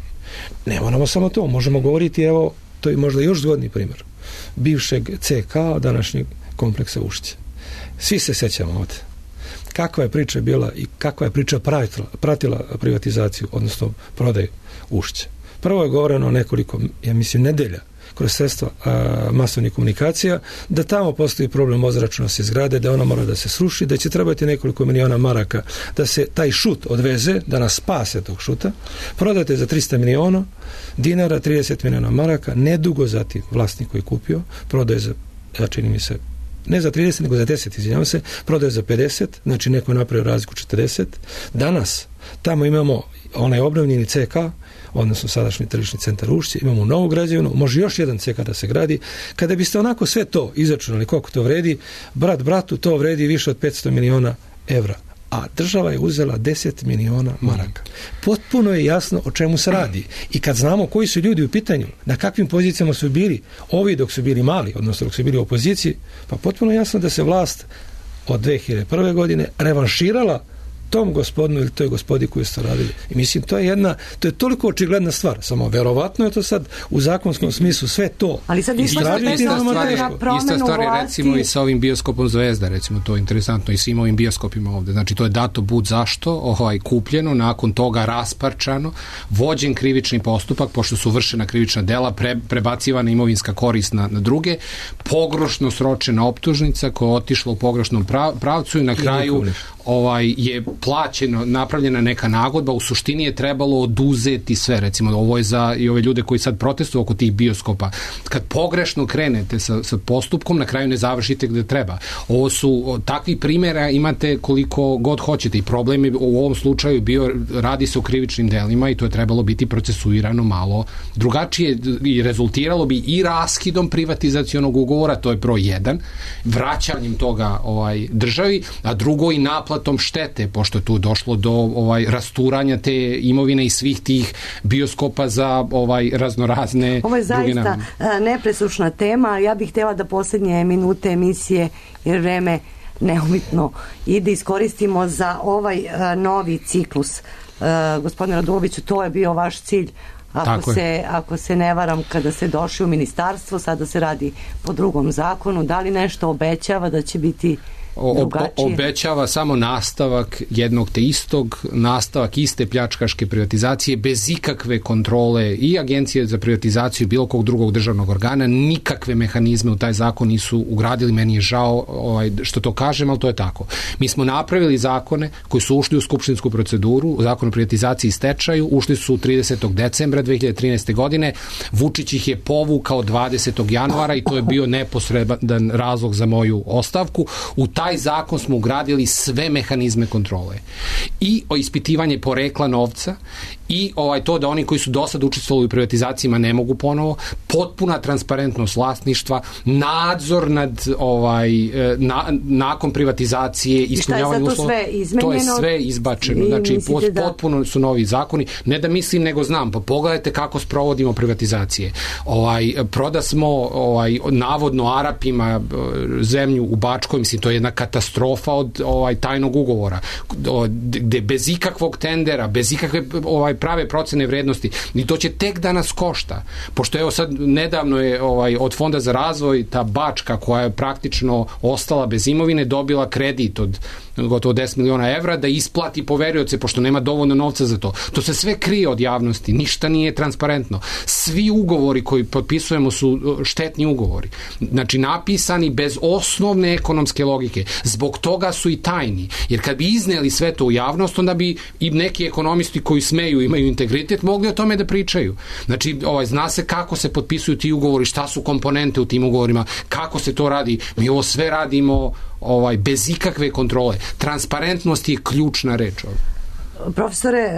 Ne moramo samo to, možemo govoriti, evo, to je možda još zgodni primjer, bivšeg CK, današnjeg kompleksa Ušće. Svi se sećamo ovdje. Kakva je priča bila i kakva je priča pratila privatizaciju, odnosno prodaju Ušće. Prvo je govoreno nekoliko, ja mislim, nedelja kroz sredstva masovnih komunikacija, da tamo postoji problem ozračnosti zgrade, da ona mora da se sruši, da će trebati nekoliko miliona maraka da se taj šut odveze, da nas spase tog šuta, prodate za 300 miliona dinara, 30 miliona maraka, nedugo zatim vlasnik koji je kupio, prodaje za, čini mi se, ne za 30, nego za 10, izvinjavam se, prodaje za 50, znači neko je napravio razliku 40. Danas tamo imamo onaj obnovljeni CK, odnosno sadašnji tržišni centar Ušće, imamo novu građevinu, može još jedan CK da se gradi. Kada biste onako sve to izračunali koliko to vredi, brat bratu to vredi više od 500 miliona evra. A država je uzela 10 miliona maraka. Potpuno je jasno o čemu se radi. I kad znamo koji su ljudi u pitanju, na kakvim pozicijama su bili, ovi dok su bili mali, odnosno dok su bili u opoziciji, pa potpuno je jasno da se vlast od 2001. godine revanširala tom gospodinu ili toj gospodi koju ste radili. I mislim, to je toliko očigledna stvar. Samo verovatno je to sad u zakonskom smislu sve to. Ali sad ista stvar je recimo i sa ovim bioskopom Zvezda, recimo, to je interesantno i svim ovim bioskopima ovde. Znači, to je dato bud zašto, kupljeno, nakon toga rasparčano, vođen krivični postupak, pošto su vršena krivična dela, prebacivana imovinska korist na druge, pogrešno sročena optužnica koja je otišla u pogrešnom pravcu i na kraju je plaćeno, napravljena neka nagodba, u suštini je trebalo oduzeti sve, recimo ovo je za i ove ljude koji sad protestuju oko tih bioskopa. Kad pogrešno krenete sa postupkom, na kraju ne završite gde treba. Ovo su takvi primjera, imate koliko god hoćete i problem je u ovom slučaju bio, radi se o krivičnim delima i to je trebalo biti procesuirano malo drugačije i rezultiralo bi i raskidom privatizacionog ugovora, to je broj 1, vraćanjem toga državi, a drugo i naplatom štete, pošto je tu došlo do rasturanja te imovine i svih tih bioskopa za raznorazne druge namene. Ovo je zaista nepresušna tema. Ja bih htjela da posljednje minute emisije, jer vreme neumitno, i da iskoristimo za ovaj novi ciklus. Gospodine Raduloviću, to je bio vaš cilj. Ako se ne varam, kada ste došli u ministarstvo, sada se radi po drugom zakonu, da li nešto obećava da će biti obećava samo nastavak jednog te istog, nastavak iste pljačkaške privatizacije bez ikakve kontrole i Agencije za privatizaciju bilo kog drugog državnog organa, nikakve mehanizme u taj zakon nisu ugradili. Meni je žao što to kažem, ali to je tako. Mi smo napravili zakone koji su ušli u skupštinsku proceduru, zakon o privatizaciji i stečaju, ušli su 30. decembra 2013. godine, Vučić ih je povukao 20. januara i to je bio neposredan razlog za moju ostavku. U taj zakon smo ugradili sve mehanizme kontrole i ispitivanje porekla novca i to da oni koji su do sad učestvovali u privatizacijama ne mogu ponovo, potpuna transparentnost vlasništva, nadzor nad nakon privatizacije, ispunjavanje uslova. To je sve izbačeno. Znači, potpuno su novi zakoni. Ne da mislim, nego znam. Pa pogledajte kako sprovodimo privatizacije. Proda smo navodno Arapima zemlju u Bačkoj, mislim, to je jedna katastrofa od tajnog ugovora, gde bez ikakvog tendera, bez ikakve prave procene vrednosti, i to će tek da nas košta, pošto evo sad nedavno je od Fonda za razvoj ta Bačka, koja je praktično ostala bez imovine, dobila kredit od gotovo 10 miliona evra da isplati poverioce, pošto nema dovoljno novca za to. To se sve krije od javnosti, ništa nije transparentno. Svi ugovori koji potpisujemo su štetni ugovori. Znači, napisani bez osnovne ekonomske logike. Zbog toga su i tajni. Jer kad bi izneli sve to u javnost, onda bi i neki ekonomisti koji smeju, imaju integritet, mogli o tome da pričaju. Znači, zna se kako se potpisuju ti ugovori, šta su komponente u tim ugovorima, kako se to radi. Mi ovo sve radimo bez ikakve kontrole. Transparentnost je ključna reč. Profesore,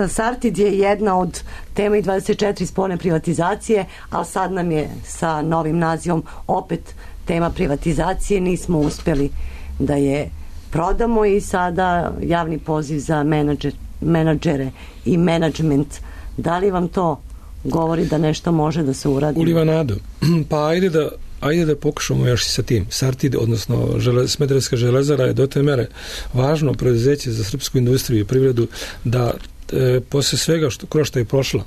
Sartid je jedna od tema i 24 spolne privatizacije, ali sad nam je sa novim nazivom opet tema privatizacije. Nismo uspjeli da je prodamo i sada javni poziv za menadžere i menadžment. Da li vam to govori da nešto može da se uradi? Uliva nadu. Pa ajde da pokušamo još i sa tim. Sartid, odnosno Smederevska železara je do te mere važno preduzeće za srpsku industriju i privredu da posle svega kroz što je prošla,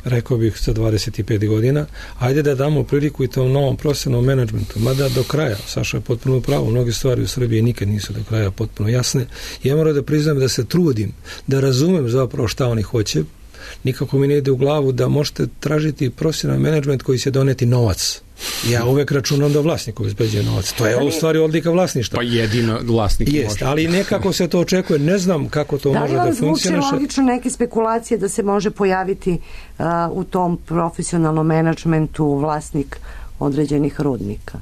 rekao bih za 25 godina, ajde da damo priliku i tom novom profesionalnom menadžmentu, mada do kraja, Saša je potpuno pravo, mnoge stvari u Srbiji nikad nisu do kraja potpuno jasne. Ja moram da priznam da se trudim, da razumem zapravo šta oni hoće. Nikako mi ne ide u glavu da možete tražiti profesionalni menadžment koji će doneti novac. Ja uvek računam da vlasnik obezbeđuje novac. To je u stvari odlika vlasništva. Pa jedino vlasnik može. Ali nekako se to očekuje. Ne znam kako to može da funkcioniše. Da li vam zvuči logično neke spekulacije da se može pojaviti u tom profesionalnom menadžmentu vlasnik određenih rudnika?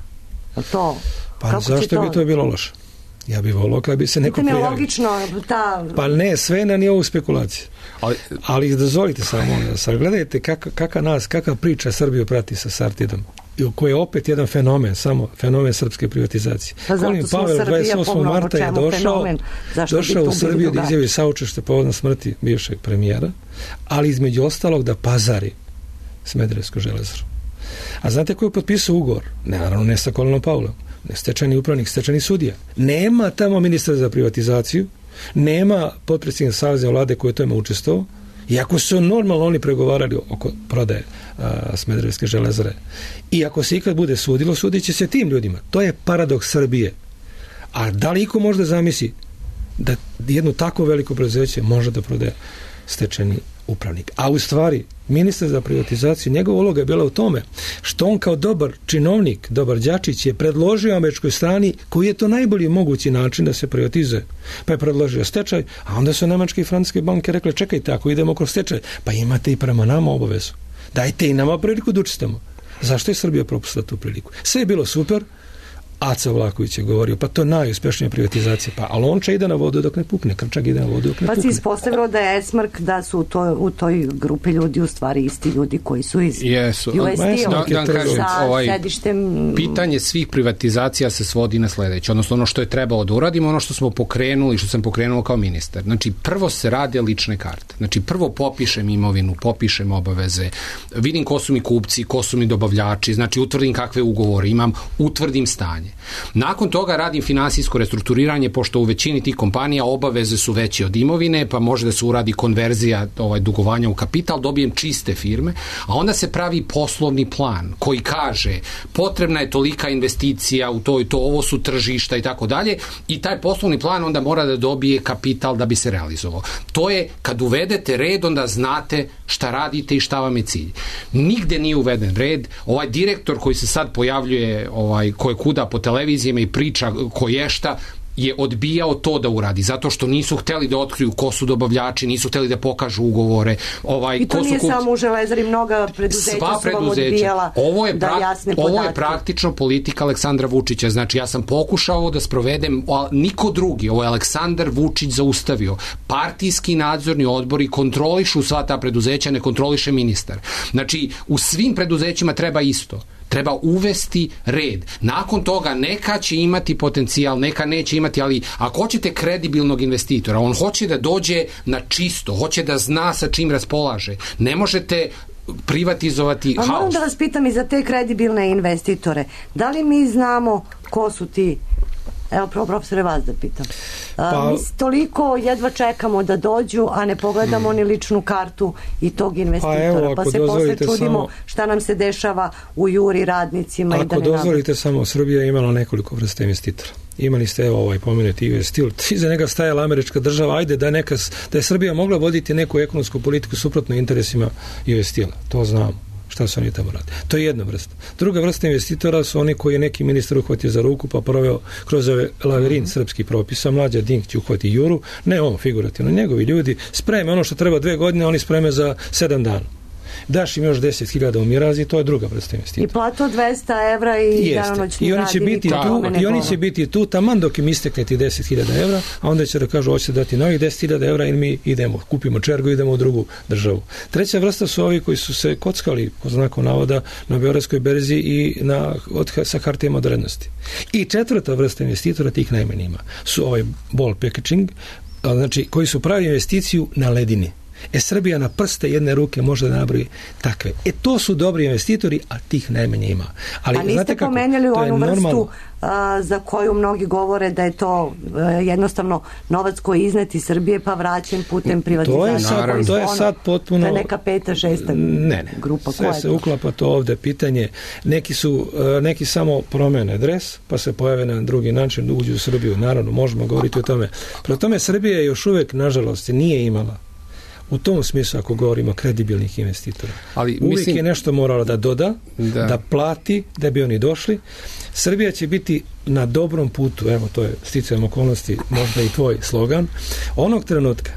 To, pa zašto bi to bilo loše? Ja bih volao kada bi se neko prijavio. Logično, pa ne, sve na nivou spekulacije. Ali dozvolite samo, gledajte kakva priča Srbiju prati sa Sartidom, koji je opet jedan fenomen, samo fenomen srpske privatizacije. Colin Powell 28. marta je došao u Srbiju da izjavi saučešće povodom smrti bivšeg premijera, ali između ostalog da pazari Smederevsku železaru. A znate ko je potpisao ugovor? Naravno ne sa Colinom Powellom, stečajni upravnik, stečajni sudija. Nema tamo ministra za privatizaciju, nema potpredsjednik Saveza vlade koji je tome učestvovao, iako su normalno oni pregovarali oko prodaje Smederevske železare. I ako se ikad bude sudilo, sudit će se tim ljudima. To je paradoks Srbije. A da li iko može da zamisli da jedno tako veliko preduzeće može da prodaje stečajni upravnik? A u stvari, ministar za privatizaciju, njegova uloga je bila u tome što on kao dobar činovnik, dobar đačić je predložio američkoj strani koji je to najbolji mogući način da se privatizuje. Pa je predložio stečaj, a onda su nemačke i francuske banke rekle, čekajte, ako idemo kroz stečaj, pa imate i prema nama obavezu. Dajte i nama priliku da učestamo. Zašto je Srbija propustila tu priliku? Sve je bilo super, Aca Vlaković je govorio, pa to je najuspješnija privatizacija, pa Alonča ide na vodu dok ne pukne, Krčak ide na vodu dok ne pukne. Pa si ispostavilo da je Esmark, da su u toj grupi ljudi u stvari isti ljudi koji su iz sa sedištem. Pitanje svih privatizacija se svodi na sledeće, odnosno ono što je trebalo da uradimo, ono što smo pokrenuli, što sam pokrenuo kao ministar. Znači, prvo se rade lične karte. Znači, prvo popišem imovinu, popišem obaveze, vidim ko su mi kupci, ko su mi dobavljači, znači utvrdim kakve ugovore imam, utvrdim stanje. Nakon toga radim finansijsko restrukturiranje, pošto u većini tih kompanija obaveze su veće od imovine, pa može da se uradi konverzija dugovanja u kapital, dobijem čiste firme, a onda se pravi poslovni plan koji kaže potrebna je tolika investicija u to i to, ovo su tržišta i tako dalje, i taj poslovni plan onda mora da dobije kapital da bi se realizovao. To je, kad uvedete red, onda znate šta radite i šta vam je cilj. Nigde nije uveden red. Ovaj direktor koji se sad pojavljuje, koji kuda po televizijama i priča koješta, je odbijao to da uradi, zato što nisu hteli da otkriju ko su dobavljači, nisu hteli da pokažu ugovore. I to nije samo u železari, mnoga preduzeća su vam odbijala da jasne podatke. Ovo je praktično politika Aleksandra Vučića. Znači, ja sam pokušao da sprovedem, niko drugi, ovo je Aleksandar Vučić zaustavio. Partijski nadzorni odbori kontrolišu sva ta preduzeća, ne kontroliše ministar. Znači, u svim preduzećima treba isto. Treba uvesti red. Nakon toga neka će imati potencijal, neka neće imati, ali ako hoćete kredibilnog investitora, on hoće da dođe na čisto, hoće da zna sa čim raspolaže. Ne možete privatizovati haos. Moram da vas pitam i za te kredibilne investitore. Da li mi znamo ko su ti? Evo, profesore, vas da pitam. Mi toliko jedva čekamo da dođu, a ne pogledamo ni ličnu kartu i tog investitora. Pa se posle čudimo šta nam se dešava u Juri radnicima. Ako dozvolite samo, Srbija je imala nekoliko vrsta investitora. Imali ste pomenuti US Steel, iza njega stajala američka država, ajde da je Srbija mogla voditi neku ekonomsku politiku suprotno interesima US Steela. To znamo. Šta su oni tamo radi. To je jedna vrsta. Druga vrsta investitora su oni koji je neki ministar uhvatio za ruku pa proveo kroz ove lavirin srpskih propisa. Mlađa Dink će uhvati Juru, ne on figurativno, njegovi ljudi spreme ono što treba 2 godine, oni spreme za 7 dana. Daš im još 10.000 u Mirazi, to je druga vrsta investitora. I platu od 200 evra i danonoćni rad. I oni će biti tu taman dok im istekne ti 10.000 evra, a onda će da kažu hoće dati novih 10.000 evra ili mi idemo, kupimo čergu i idemo u drugu državu. Treća vrsta su ovi koji su se kockali, po znaku navoda, na Beogradskoj berzi i sa hartijama od vrednosti. I četvrta vrsta investitora, tih najmanje ima, su ovaj ball packaging, znači koji su pravi investiciju na ledini. Srbija na prste jedne ruke može da nabroji takve. To su dobri investitori, a tih najmanje ima. Ali, a niste pomenjali onu vrstu za koju mnogi govore da je to jednostavno novac koji je iznet iz Srbije pa vraćen putem privatizacije. To je sad potpuno... To je neka 5., 6. grupa. Sve se uklapa to ovde pitanje. Neki samo promene dres, pa se pojave na drugi način, uđu u Srbiju. Naravno, možemo govoriti o tome. Prema tome, Srbija još uvek, nažalost, nije imala u tom smislu, ako govorimo kredibilnih investitora. Uvijek je nešto morala da doda, da plati, da bi oni došli. Srbija će biti na dobrom putu, evo to je sticajem okolnosti, možda i tvoj slogan, onog trenutka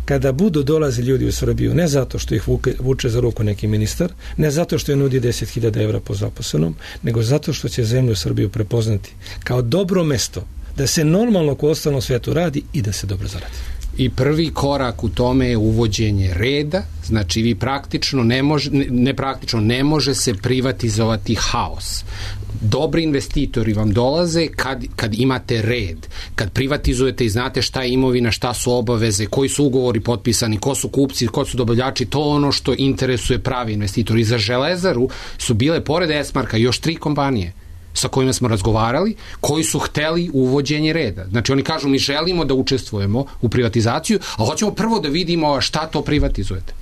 kada budu dolazi ljudi u Srbiju, ne zato što ih vuče za ruku neki ministar, ne zato što je nudi 10.000 evra po zaposlenom, nego zato što će zemlju Srbiju prepoznati kao dobro mesto, da se normalno u ostalom svetu radi i da se dobro zaradi. I prvi korak u tome je uvođenje reda, znači vi praktično ne može se privatizovati haos. Dobri investitori vam dolaze kad imate red, kad privatizujete i znate šta je imovina, šta su obaveze, koji su ugovori potpisani, ko su kupci, ko su dobavljači, to ono što interesuje pravi investitori. Za Železaru su bile pored Esmarka još 3 kompanije sa kojima smo razgovarali, koji su hteli uvođenje reda. Znači oni kažu mi želimo da učestvujemo u privatizaciju, a hoćemo prvo da vidimo šta to privatizujete.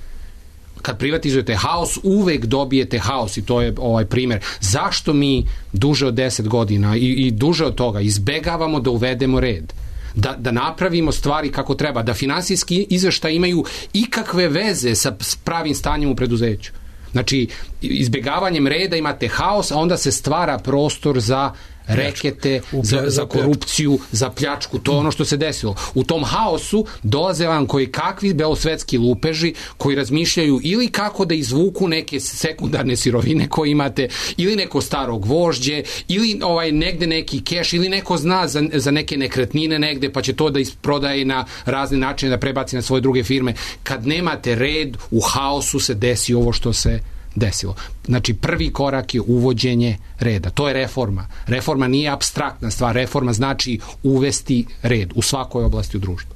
Kad privatizujete haos, uvek dobijete haos i to je ovaj primer. Zašto mi duže od 10 godina i duže od toga izbegavamo da uvedemo red? Da napravimo stvari kako treba, da finansijski izveštaj imaju ikakve veze sa pravim stanjem u preduzeću. Znači, izbjegavanjem reda imate haos, a onda se stvara prostor za rekete, za korupciju, za pljačku, to je ono što se desilo. U tom haosu dolaze vam koji kakvi belosvetski lupeži koji razmišljaju ili kako da izvuku neke sekundarne sirovine koje imate, ili neko staro gvožđe, ili negde neki keš, ili neko zna za neke nekretnine negde, pa će to da isprodaje na razne načine, da prebaci na svoje druge firme. Kad nemate red, u haosu se desi ovo što se desilo. Znači, prvi korak je uvođenje reda. To je reforma. Reforma nije apstraktna stvar. Reforma znači uvesti red u svakoj oblasti u društvu.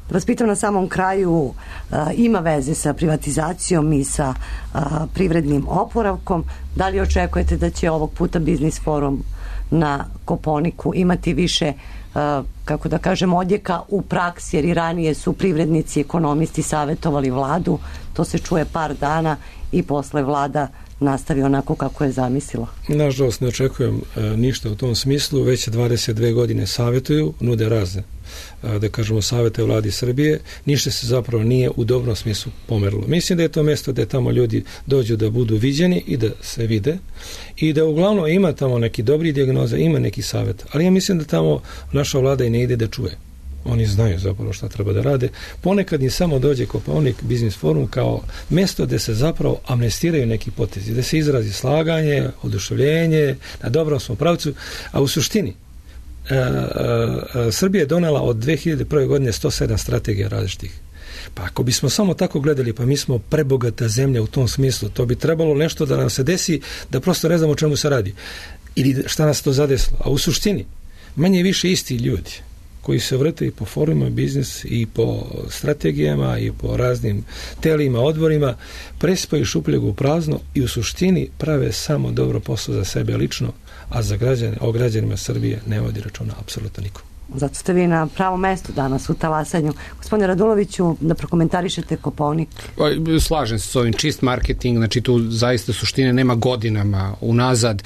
Da vas pitam na samom kraju, ima veze sa privatizacijom i sa privrednim oporavkom. Da li očekujete da će ovog puta Biznis forum na Kopaoniku imati više kako da kažem, odjeka u praksi, jer i ranije su privrednici, ekonomisti savjetovali vladu, to se čuje par dana i posle vlada nastavi onako kako je zamislila. Nažalost, ne očekujem ništa u tom smislu, već 22 godine savjetuju, nude razne, da kažemo, savjete vladi Srbije, ništa se zapravo nije u dobrom smislu pomerilo. Mislim da je to mjesto da tamo ljudi dođu da budu viđeni i da se vide i da uglavnom ima tamo neki dobri dijagnoza, ima neki savjet, ali ja mislim da tamo naša vlada i ne ide da čuje. Oni znaju zapravo šta treba da rade. Ponekad im samo dođe Kopaonik Biznis forum kao mjesto gde se zapravo amnestiraju neki potezi, da se izrazi slaganje, oduševljenje, na dobrom smo pravcu, a u suštini Srbija je donela od 2001. godine 107 strategija različitih. Pa ako bismo samo tako gledali, pa mi smo prebogata zemlja u tom smislu, to bi trebalo nešto da nam se desi, da prosto ne znamo o čemu se radi. Ili šta nas to zadesilo. A u suštini, manje više isti ljudi koji se vrte i po forumima biznis i po strategijama i po raznim telima, odborima, presipaju šupljegu u prazno i u suštini prave samo dobro posao za sebe lično, a za građane, o građanima Srbije ne vodi računa apsolutno niko. Zato ste vi na pravom mestu danas u talasanju. Gospodine Raduloviću, da prokomentarišete Kopaonik. Slažem se s ovim, čist marketing, znači tu zaista suštine nema godinama unazad.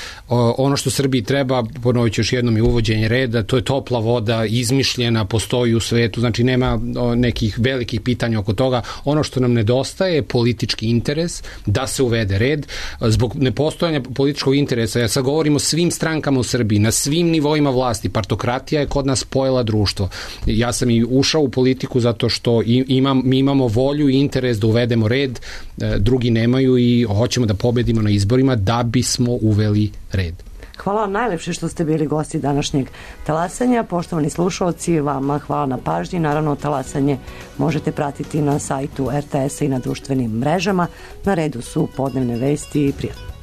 Ono što Srbiji treba, ponovit ću još jednom, i uvođenje reda, to je topla voda, izmišljena, postoji u svetu, znači nema nekih velikih pitanja oko toga. Ono što nam nedostaje je politički interes da se uvede red. Zbog nepostojanja političkog interesa, ja sad govorim o svim strankama u Srbiji, na svim nivoima vlasti, partokratija je kod nas spojila društvo. Ja sam i ušao u politiku zato što mi imamo volju i interes da uvedemo red, drugi nemaju i hoćemo da pobedimo na izborima da bismo uveli red. Hvala vam najlepše što ste bili gosti današnjeg talasanja. Poštovani slušalci, vama hvala na pažnji. Naravno, talasanje možete pratiti na sajtu RTS-a i na društvenim mrežama. Na redu su podnevne vesti i prijatno.